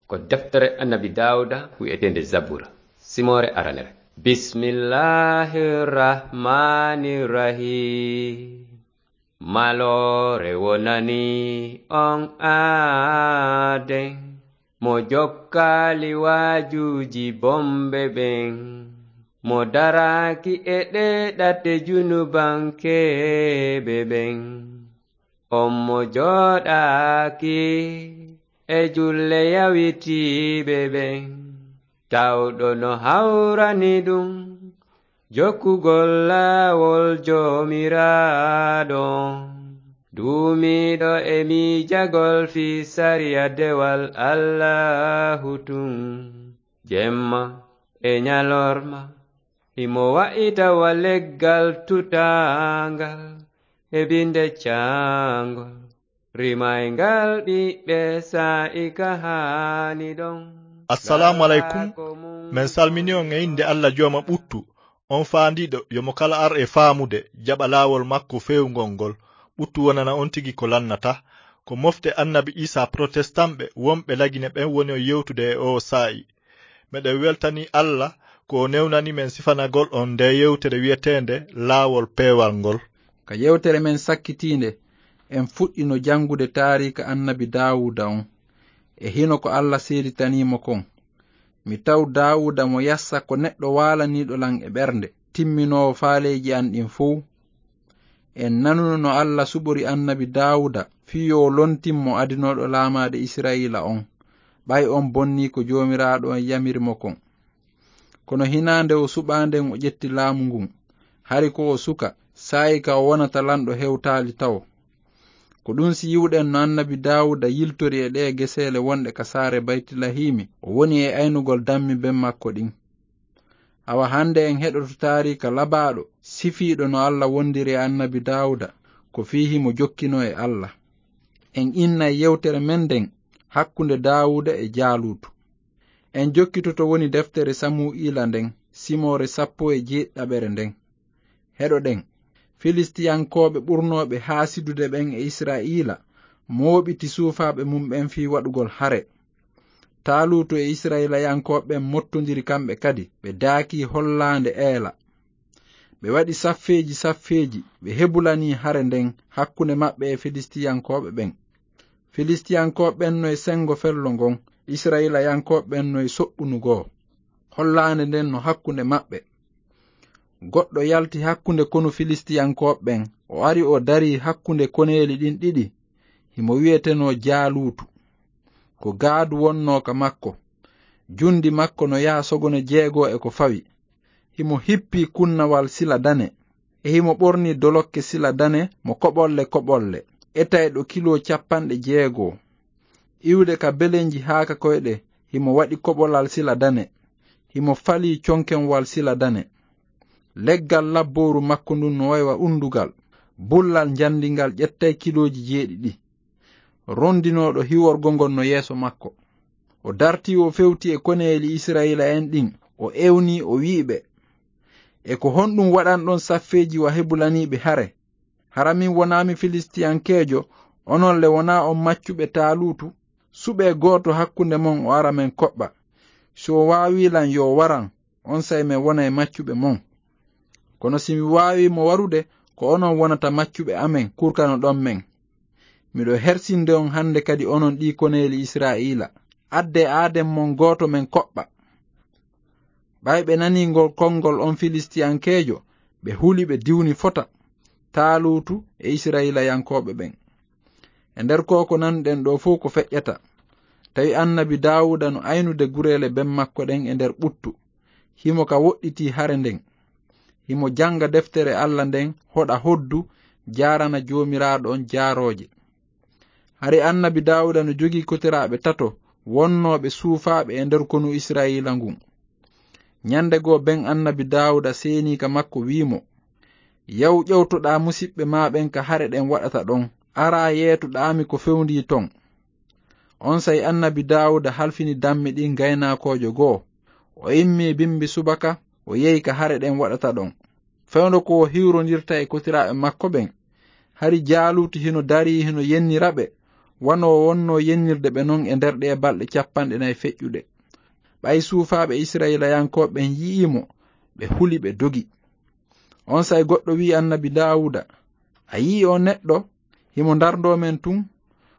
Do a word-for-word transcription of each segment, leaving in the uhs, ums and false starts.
Ko deftere Annabi Daawuda wi'eteende Zabura, simoore aranere. Bismillahir Rahmanir Rahim. Maloore wonani on aaden, mo jokkaali waajuuji bomɓe ɓen, mo daraaki e ɗee ɗate junubankeeɓe ɓen. On mo jooɗaaki e julle yawitiiɓe ɓen, tawɗo no hawrani ɗum jokkugol laawol Joomiraaɗo on, duumiiɗo e miijagol fii sariya dewal Allaahu tun, jemma e ɲalorma, himo wa'ita wa leggal tutaangal e binde caangol, rimayngal ɓiɓɓe saa'i ka haani ɗon. Assalaamu aleykum. Men salmini on e innde Alla Jooma ɓuttu, on faandiiɗo yo mo kala ar e faamude, jaɓa laawol makko feewngol ngol. Ɓuttu wonana on tigi ko lannata. Ko mofte Annabi Iisaa Protestamɓe wonɓe Lagine ɓen woni on yewtude e oo saa'i. Meɗen weltanii Alla ko o newnani men sifanagol on ndee yewtere wi'eteende Laawol Peewal ngol. Ka yewtere men sakkitiinde, en fuɗɗino janngude taariika Annabi Daawuuda on, e hino ko Alla seeditanii mo kon. Mi taw Daawuuda mo yassa ko neɗɗo waalaniiɗo lan e ɓernde, timminoowo faaleeji an ɗin fow. En nanuno no Alla suɓori Annabi Daawuuda fii yo o lontin mo adinooɗo laamaade Isra'iila on, ɓay on bonnii ko Joomiraaɗo on yamiri mo kon. Kono hinaa nde o suɓaa nden o ƴetti laamu ngun. Hari ko o suka, saa'i ka o wonata lanɗo hewtaali tawo. Ko ɗun si yi'uɗen no Annabi Daawuuda yiltori e ɗee geseele wonɗe ka saare Baytilahiimi, o woni e aynugol dammi ben makko ɗin. Awa hande en heɗoto taariika labaaɗo, sifiiɗo no Alla wondiri e Annabi Daawuuda, ko fii himo jokkinoo e Alla. En innay yewtere men nden hakkunde Daawuuda e Jaaluutu. En jokkitoto woni deftere Samu'iila nden, simoore sappo e jeeɗiɗaɓere nden. Heɗoɗen. Filistiyankooɓe ɓurnooɓe haasidude ɓen e Isra'iila mooɓiti suufaaɓe mun ɓen fii waɗugol hare. Taaluutu e Isra'iilayankooɓe ɓen mottondiri kamɓe kadi, ɓe daakii hollaande Eela. Ɓe waɗi saffeeji saffeeji, ɓe hebulanii hare nden hakkunde maɓɓe e Filistiyankooɓe ɓen. Filistiyankooɓe ɓen no e sengo fello ngon, Isra'iilayankooɓe ɓen no e soɓɓunu goo. Hollaande nden no hakkunde maɓɓe. Goɗɗo yalti hakkunde konu Filistiyankooɓe ɓen, o ari o darii hakkunde koneeli ɗin ɗiɗi. Himo wi'etenoo Jaaluutu. Ko gaadu wonnoo ka makko. Jundi makko no yaha sogone jeego e ko fawi. Himo hippii kunnawal sila dane. E himo ɓornii dolokke sila dane mo koɓolle koɓolle, etayɗo kilo cappanɗe jeego. Iwde ka belenji haa ka koyɗe, himo waɗi koɓolal sila dane. Himo falii conkenwal sila dane. Leggal labbooru makko ndun no way wa undugal. Bullal njandi ngal ƴettay kilooji jeeɗiɗi. Rondinooɗo hiworgo ngon no yeeso makko. O dartii o fewti e koneeli Isra'iila'en ɗin, o ewnii o wi'i ɓe, "E ko honɗun waɗanɗon saffeeji wa hebulaniiɓe hare? Hara min wonaami Filistiyankeejo, onon le wonaa on maccuɓe Taaluutu? Suɓee gooto hakkunde mon o ara men koɓɓa. Si o waawii lan yo o waran, onsay men wonay maccuɓe mon. Kono si mi waawii mo warude, ko onon wonata maccuɓe amen, kurkanoɗon men. Miɗo hersinde on hande kadi onon ɗii koneeli Isra'iila. Addee aaden mon gooto men koɓɓa." Ɓay ɓe nanii ngol konngol on Filistiyankeejo, ɓe huli ɓe diwni fota, Taaluutu e Isra'iilayankooɓe ɓen. E nder koo ko nanuɗen ɗoo fow ko feƴƴata, tawi Annabi Daawuuda no aynude gureele ben makko ɗen e nder ɓuttu. Himo ka woɗɗitii hare nden. Himo janga deftere Alla nden, hoɗa hoddu, jaarana Joomiraaɗo on jaarooje. Hari Annabi Daawuuda no jogii kotiraaɓe tato wonnooɓe suufaaɓe e nder konu Isra'iila ngun. Ɲande goo ben Annabi Daawuuda seenii ka makko wi'i mo, "Yaw ƴewtoɗaa musiɓɓe maa ɓen ka hare ɗen waɗata ɗon, araa yeetoɗaa mi ko fewndii ton." Onsay Annabi Daawuuda halfini dammi ɗin gaynaakoojo goo. O immii bimbi subaka, o yehi ka hare ɗen waɗata ɗon. Fewndo ko o hiwrondirta e kotiraaɓe makko ɓen, hari Jaaluutu hino darii hino yennira ɓe, wano o wonnoo yennirde ɓe non e nder ɗee balɗe cappanɗe nayi feƴƴuɗe. Ɓay suufaaɓe Isra'ilayankooɓe ɓen yi'ii mo, ɓe huli, ɓe dogi. Onsay goɗɗo wi'i annabi Daawuda, "A yi'ii oo neɗɗo? Himo ndarndoo men tun.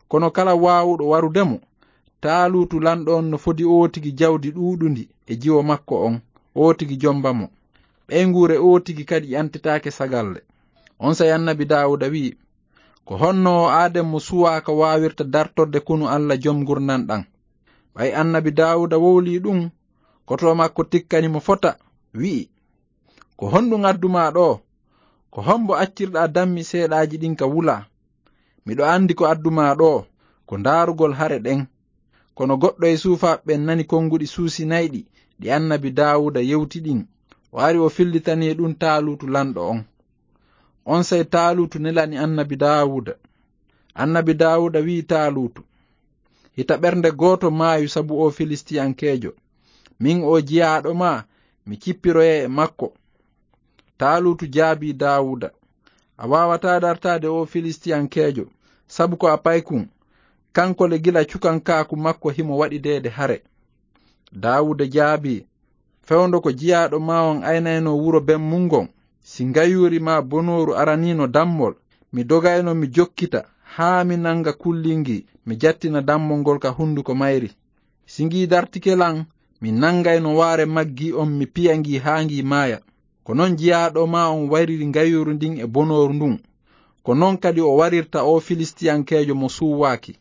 Kono kala waawuɗo warude mo, Taaluutu lanɗo on no fodi ootigi jawdi ɗuuɗundi e jiwo makko on, ootigi jomba mo. Ɓeynguure ootigi kadi ƴantetaake sagalle." Onsay annabi Daawuda wi'i, "Ko honno oo aaden mo suwaa ka waawirta dartorde konu Alla Jom Ngurndan ɗan?" Ɓay annabi Daawuda wowlii ɗun, koto makko tikkani mo fota, wi'i, "Ko honɗun addu maa ɗoo? Ko hombo accirɗaa dammi seeɗaaji ɗin ka wulaa? Miɗo andi ko addu maa ɗoo, ko ndaarugol hare ɗen." Kono goɗɗo e suufaaɓe ɓen nani konguɗi suusinayɗi ɗi annabi Daawuda yewti ɗin. O ari, o fillitanii ɗun Taaluutu lanɗo on. Onsay Taaluutu nelani annabi Daawuda. Annabi Daawuda wi'i Taaluutu, "Hita ɓernde gooto maayu sabu oo Filistiyankeejo. Min oo jiyaaɗo maa, mi cippiroyay e makko." Taaluutu jaabii Daawuda, "A waawataa dartaade oo Filistiyankeejo, sabu ko a paykun. Kanko le, gila cukankaaku makko himo waɗideede hare." Daawuda jaabii, "Fewndo ko jiyaaɗo maa on aynaynoo wuro ben mun ngon, si ngayuuri maa bonooru araniino dammol, mi dogayno mi jokkita haa mi nanga kulli ngii, mi jattina dammol ngol ka hunduko mayri. Si ngii dartike lan, mi nangayno waare maggi on, mi piya ngii haa ngii maaya. Ko non jiyaaɗo maa on wariri ngayuuru ndin e bonooru ndun. Ko non kadi o warirta oo Filistiyankeejo mo suuwaaki.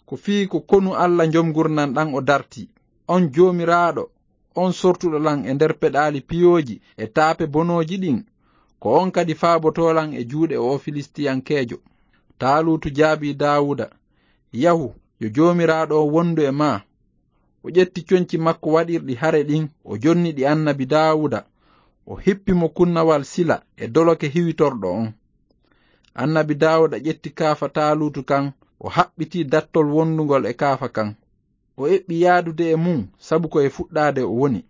Ko fii ko konu Alla Jom Ngurndan ɗan o dartii. On Joomiraaɗo, on sortuɗo lan e nder peɗaali piyooji e taape bonooji ɗin, ko on kadi faabotoo lan e juuɗe oo Filistiyankeejo." Taaluutu jaabii Daawuda, "Yahu, yo Joomiraaɗo on wondu e maa." O ƴetti conci makko waɗirɗi hare ɗin, o jonni ɗi annabi Daawuda, o hippi mo kunnawal sila e doloke hiwitorɗo on. Annabi Daawuda ƴetti kaafa Taaluutu kan, o haɓɓiti dattol wondungol e kaafa kan. O eɓɓi yaadude e mun, sabu ko e fuɗɗaade o woni.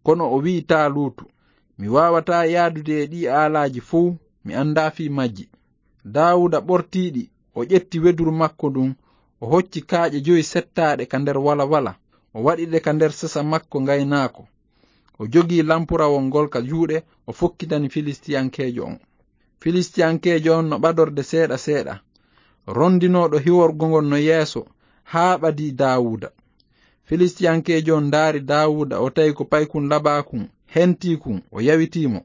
Kono o wi'i Taaluutu, "Mi waawataa yaadude e ɗii aalaaji fow, mi andaa fii majji." Daawuda ɓortii ɗi, o ƴetti weduru makko ndun, o hocci kaaƴe jowi settaaɗe ka nder walawala, o waɗi ɗe ka nder sesa makko ngaynaako. O jogii lampurawol ngol ka juuɗe, o fokkitani Filistiyankeejo on. Filistiyankeejo on no ɓadorde seeɗa seeɗa, rondinooɗo hiworgo ngol no yeeso, haa ɓadii Daawuda. Filistiyankeejo on ndaari Daawuda, o tawi ko paykun labaakun hentii kun, o yawitii mo.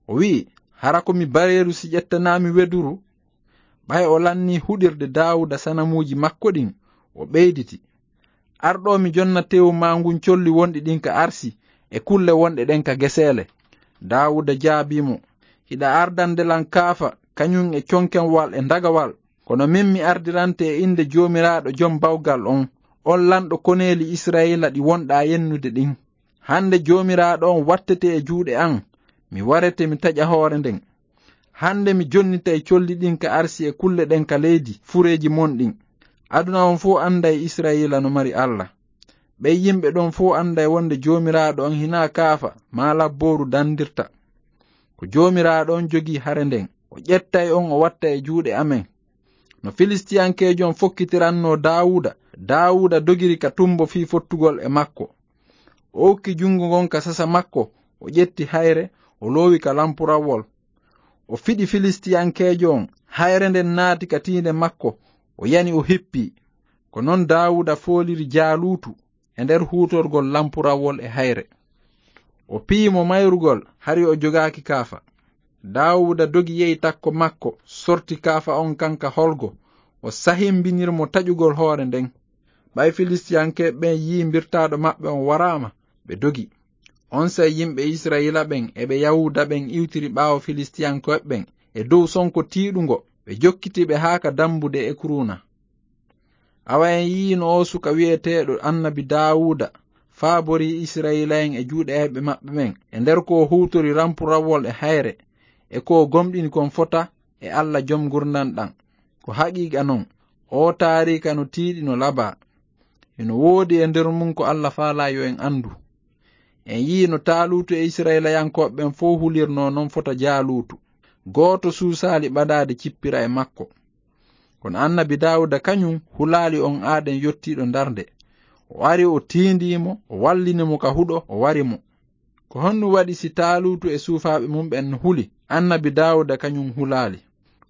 O wi'i, "Hara ko mi bareeru si ƴettanaami weduru?" Ɓay o lannii huɗirde Daawuda sanamuuji makko ɗin, o ɓeyditi, "Ar ɗoo mi jonna teewu maa ngun colli wonɗi ɗin ka arsi e kulle wonɗe ɗen ka geseele." Daawuda jaabii mo, "Hiɗa ardande lan kaafa, kañun e conkenwal e ndagawal. Kono min mi ardirante e innde Joomiraaɗo Jom Bawgal on, on lanɗo koneeli Isra'iila ɗi wonɗaa yennude ɗin. Hande Joomiraaɗo on wattete e juuɗe an, mi warete mi taƴa hoore nden. Hande mi jonnitay colli ɗin ka arsi e kulle ɗen ka leydi fureeji mon ɗin. Aduna on fow anday Isra'iila no mari Alla. Ɓen yimɓe ɗon fow anday wonde Joomiraaɗo on hinaa kaafa maa labbooru dandirta. Ko Joomiraaɗo on jogii hare nden, o ƴettay on o watta e juuɗe amen." No Filistiyankeejo on fokkitirannoo Daawuda, Daawuda dogiri ka tumbo fii fottugol e makko. O okki jungo ngon ka sasa makko, o ƴetti hayre, o loowi ka lampurawol. O fiɗi Filistiyankeejo on, hayre nden naati ka tiinde makko, o yani, o hippii. Ko non Daawuda fooliri Jaaluutu e nder huutorgol lampurawol e hayre. O piyi mo mayrugol, hari o jogaaki kaafa. Daawuda dogi yehi takko makko, sorti kaafa on kan ka holgo, o sahimbinir mo taƴugol hoore nden. Ɓay Filistiyankeeɓe ɓen yi'i mbirtaaɗo maɓɓe on waraama, ɓe dogi. Onsay yimɓe Isra'iila ɓen e ɓe Yahuuda ɓen iwtiri ɓaawo Filistiyankeeɓe ɓen e dow sonko tiiɗungo, ɓe jokkiti ɓe haa ka dambude Ekruuna. Awa en yi'ino oo suka wi'eteeɗo annabi Daawuda faaborii Isra'iila'en e juuɗe ayɓe maɓɓe ɓen, e nder ko o huutori rampurawol e hayre, e ko o gomɗini kon fota e Alla Jom Ngurndan ɗan. Ko haqiiqa non, oo taariika no tiiɗi no labaa. Hino woodi e nder mun ko Alla faalaa yo en andu. En yi'i no Taaluutu e Isra'iilayankooɓe ɓen fow hulirnoo non fota Jaaluutu. Gooto suusaali ɓadaade cippira e makko. Kono annabi Daawuda kañum hulaali on aaden yottiiɗo darnde. O ari, o tiindii mo, o wallini mo ka huɗo, o wari mo. Ko honɗum waɗi si Taaluutu e suufaaɓe mum ɓen no huli, annabi Daawuda kañum hulaali?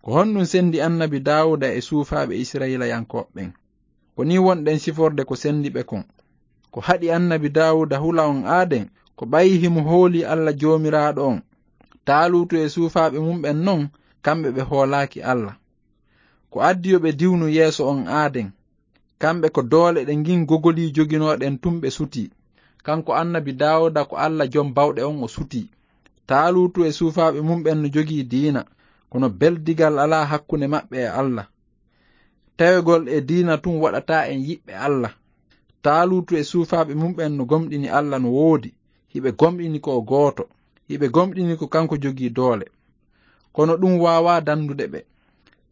Ko honɗum senndi annabi Daawuda e suufaaɓe Isra'iilayankooɓe ɓen? Ko nii wonɗen siforde ko senndi ɓe kon. Ko haɗi annabi Daawuda hula on aaden, ko ɓayi himo hoolii Alla Joomiraaɗo on. Taaluutu e suufaaɓe mum ɓen non, kamɓe ɓe hoolaaki Alla. Ko addi yo ɓe diwnu yeeso on aaden. Kamɓe ko doole ɗe ngin gogolii joginooɗen tun ɓe sutii. Kanko annabi Daawuda ko Alla Jom Bawɗe on o sutii. Taaluutu e suufaaɓe mum ɓen no jogii diina, kono beldigal alaa hakkunde maɓɓe e Alla. Tawegol e diina tun waɗataa en yiɓɓe Alla. Taaluutu e suufaaɓe mum ɓen no gomɗini Alla no woodi, hiɓe gomɗini ko o gooto, hiɓe gomɗini ko kanko jogii doole. Kono ɗum waawaa dandude ɓe.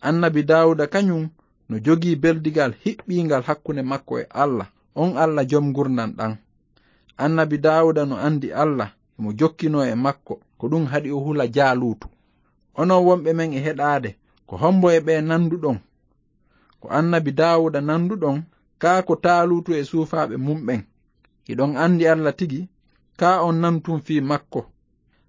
Annabi Daawuda kañum no jogii beldigal hiɓɓiingal hakkunde makko e Alla, on Alla Jom ngurndan ɗan. Annabi Daawuda no andi Alla, himo jokkinoo e makko, ko ɗum haɗi o hula Jaaluutu. Onon wonɓe men e heɗaade, ko hombo e ɓe nanduɗon? Ko annabi Daawuda nanduɗon, kaa ko Taaluutu e suufaaɓe mum ɓen? Hiɗon andi Alla tigi, kaa on nantun fii makko?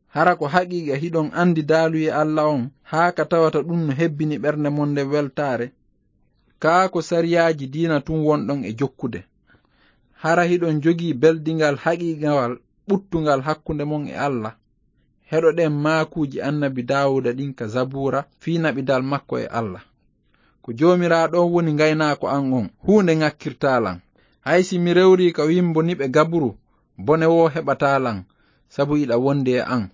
Hara ko haqiiqa hiɗon andi daaluyee Alla on, haa ka tawata ɗum no hebbini ɓernde mon nden weltaare? Kaa ko sariyaaji diina tun wonɗon e jokkude? Hara hiɗon jogii beldingal haqiiqawal ɓuttungal hakkunde mon e Alla? Heɗoɗen maakuuji annabi Daawuda ɗin ka Zabuura fii naɓidal makko e Alla. Ko Joomiraaɗo on woni ngaynaako an on, huunde ŋakkirtaa lan. Hay si mi rewrii ka wimbo niɓe gaburu, bone woo heɓataa lan, sabu iɗa wondi e an.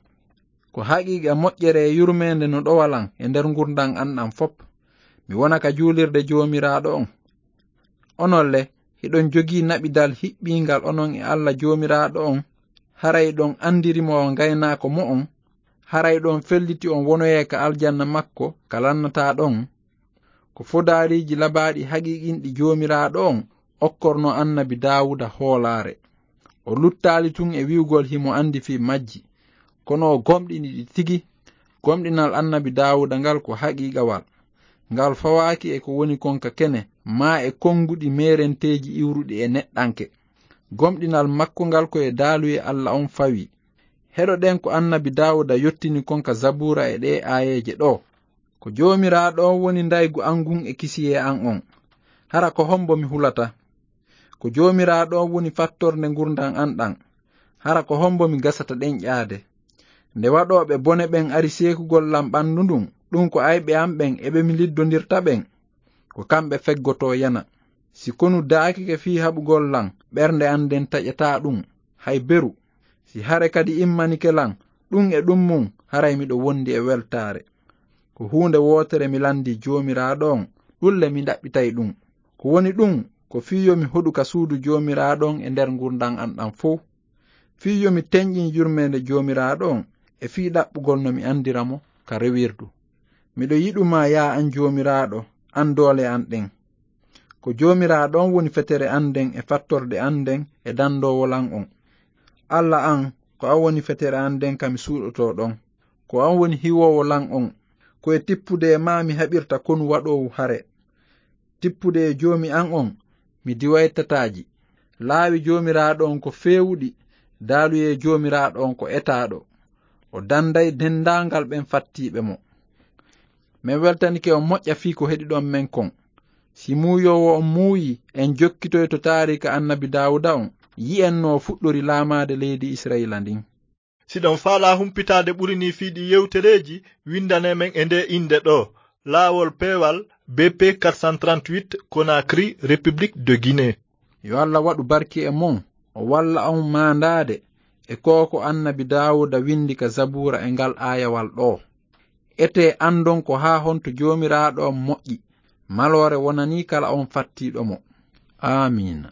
Ko haqiiqa moƴƴere e yurmeende no ɗowa lan e nder ngurndan an ɗan fop. Mi wona ka juulirde Joomiraaɗo on. Onon le, hiɗon jogii naɓidal hiɓɓiingal onon e Alla Joomiraaɗo on, haray ɗon andiri mo o ngaynaako mo'on, haray ɗon felliti on wonoyee ka aljanna makko ka lannataa ɗon. Ko fodaariiji labaaɗi haqiiqinɗi Joomiraaɗo on okkorno annabi Daawuda hoolaare. O luttaali tun e wi'ugol himo andi fii majji, kono o gomɗini ɗi tigi. Gomɗinal annabi Daawuda ngal ko haqiiqawal. Ngal fawaaki e ko woni kon ka kene, maa e konguɗi meerenteeji iwruɗi e neɗɗanke. Gomɗinal makko ngal ko e daaluyee Alla on fawi. Heɗoɗen ko annabi Daawuda yottini kon ka Zabuura e ɗee aayeeje ɗoo. Ko Joomiraaɗo on woni ndaygu an ngun e kisiyee an on. Hara ko hombo mi hulata? Ko Joomiraaɗo on woni fattorde ngurndan an ɗan. Hara ko hombo mi gasata ɗenƴaade? Nde waɗooɓe bone ɓen ari seekugol lan ɓandu ndun, ɗum ko ayɓe an ɓen e ɓe mi liddondirta ɓen. Ko kamɓe feggotoo yana. Si konu daakike fii haɓugol lan, ɓernde an nden taƴataa ɗum, hay beru. Si hare kadi immanike lan, ɗum e ɗum mun, haray miɗo wondi e weltaare. Ko huunde wootere mi landii Joomiraaɗo on, ɗun le mi ɗaɓɓitay ɗum. Ko woni ɗum, ko fii yo mi hoɗu ka suudu Joomiraaɗo on e nder ngurndan an ɗan fow. Fii yo mi tenƴin yurmeende Joomiraaɗo on, e fii ɗaɓɓugol no mi andira mo ka rewirdu. Miɗo yiɗu ma, yaa an Joomiraaɗo, an doole an ɗen. Ko Joomiraaɗo on woni fetere an nden e fattorde an nden e dandoowo lan on. Alla an, ko an woni fetere an nden ka mi suuɗotoo ɗon. Ko an woni hiwoowo lan on. Ko e tippude e maa mi haɓirta konu waɗoowu hare. Tippude e Joomi an on, mi diway tataaji. Laawi Joomiraaɗo on ko feewuɗi, daaluyee Joomiraaɗo on ko etaaɗo. O danday dendaangal ɓen fattiiɓe mo. Men weltanike on moƴƴa fii ko heɗiɗon men kon. Si muuyoowo on muuyi, en jokkitoyto taariika annabi Daawuda on, yi'en no o fuɗɗori laamaade leydi Isra'iila ndin. Si ɗon faalaa humpitaade ɓuri nii fii ɗii yewtereeji, windanee men e ndee innde ɗoo, Laawol Peewal, B P quatre cent trente-huit, Conakry, République de Guinée. Yo Alla waɗu barki e mon, o walla on maandaade e ko ko annabi Daawuda windi ka Zabuura e ngal aayawal ɗoo. Etee andon ko haa honto Joomiraaɗo on moƴƴi, maloore wonanii kala on fattiiɗo mo. Aamiina.